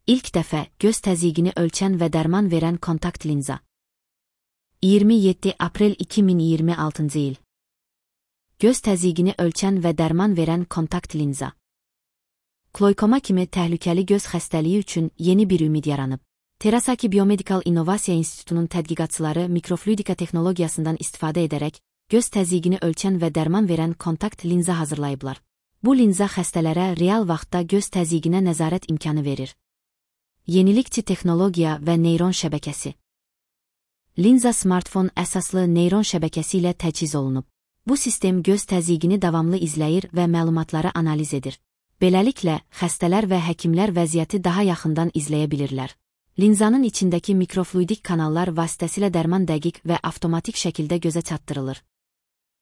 İlk dəfə göz təzyiqini ölçən və dərman verən kontakt linza. 27 aprel 2026 il. Göz təzyiqini ölçən və dərman verən kontakt linza. Kloykoma kimi təhlükəli göz xəstəliyi üçün yeni bir ümid yaranıb. Terasaki Biomedical İnnovasiya İnstitutunun tədqiqatçıları mikrofluidika texnologiyasından istifadə edərək göz təzyiqini ölçən və dərman verən kontakt linza hazırlayıblar. Bu linza xəstələrə real vaxtda göz təzyiqinə nəzarət imkanı verir. Yenilikçi texnologiya və neyron şəbəkəsi. Linza smartfon əsaslı neyron şəbəkəsi ilə təchiz olunub. Bu sistem göz təzyiqini davamlı izləyir və məlumatları analiz edir. Beləliklə, xəstələr və həkimlər vəziyyəti daha yaxından izləyə bilirlər. Linzanın içindəki mikrofluidik kanallar vasitəsilə dərman dəqiq və avtomatik şəkildə gözə çatdırılır.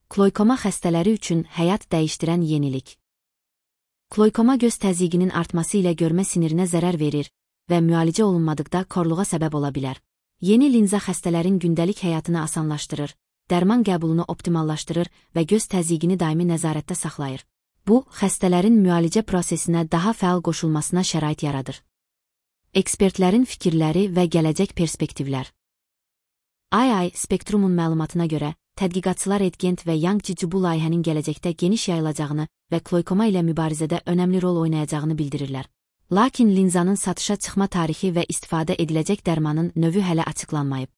Kloykoma xəstələri üçün həyat dəyişdirən yenilik. Kloykoma göz təzyiqinin artması ilə görmə sinirinə zərər verir və müalicə olunmadıqda korluğa səbəb ola bilər. Yeni linza xəstələrin gündəlik həyatını asanlaşdırır, dərman qəbulunu optimallaşdırır və göz təzyiqini daimi nəzarətdə saxlayır. Bu, xəstələrin müalicə prosesinə daha fəal qoşulmasına şərait yaradır. Ekspertlərin fikirləri və gələcək perspektivlər. II Spektrumun məlumatına görə, tədqiqatçılar Edgent və Yangji bu layihənin gələcəkdə geniş yayılacağını və kloykoma ilə mübarizədə önəmli rol oynayacağını bildirirlər. Lakin linzanın satışa çıxma tarixi və istifadə ediləcək dərmanın növü hələ açıqlanmayıb.